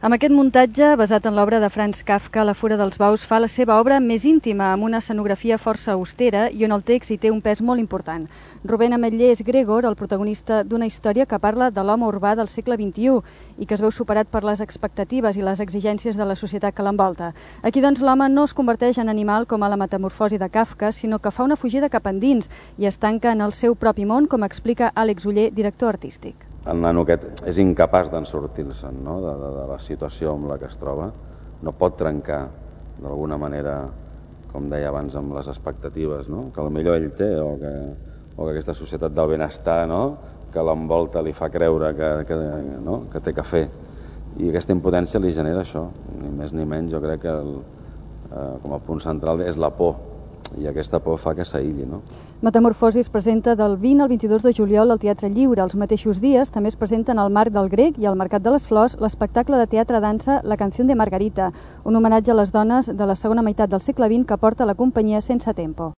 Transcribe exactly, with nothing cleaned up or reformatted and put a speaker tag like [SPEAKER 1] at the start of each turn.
[SPEAKER 1] Amb aquest muntatge, basat en l'obra de Franz Kafka, La fura dels bous fa la seva obra més íntima, amb una escenografia força austera i on el text hi té un pes molt important. Rubén Ametller és Gregor, el protagonista d'una història que parla de l'home urbà del segle vint-i-u i que es veu superat per les expectatives i les exigències de la societat que l'envolta. Aquí, doncs, l'home no es converteix en animal com a La metamorfosi de Kafka, sinó que fa una fugida cap endins i es tanca en el seu propi món, com explica Àlex Oller, director artístic.
[SPEAKER 2] El nano aquest és incapaç d'en sortir-se'n, no? de, de, de la situació amb la que es troba. No pot trencar, d'alguna manera, com deia abans, amb les expectatives, no? que potser ell té, o que, o que aquesta societat del benestar, no? que l'envolta li fa creure que, que, no? que té que fer. I aquesta impotència li genera això, ni més ni menys. Jo crec que el, eh, com a punt central és la por, i aquesta por fa que s'aïlli, no?
[SPEAKER 1] Metamorfosi es presenta del vint al vint-i-dos de juliol al Teatre Lliure. Els mateixos dies també es presenten al Marc del Grec i al Mercat de les Flors l'espectacle de teatre-dansa La canción de Margarita, un homenatge a les dones de la segona meitat del segle vint que porta la companyia Sense Tempo.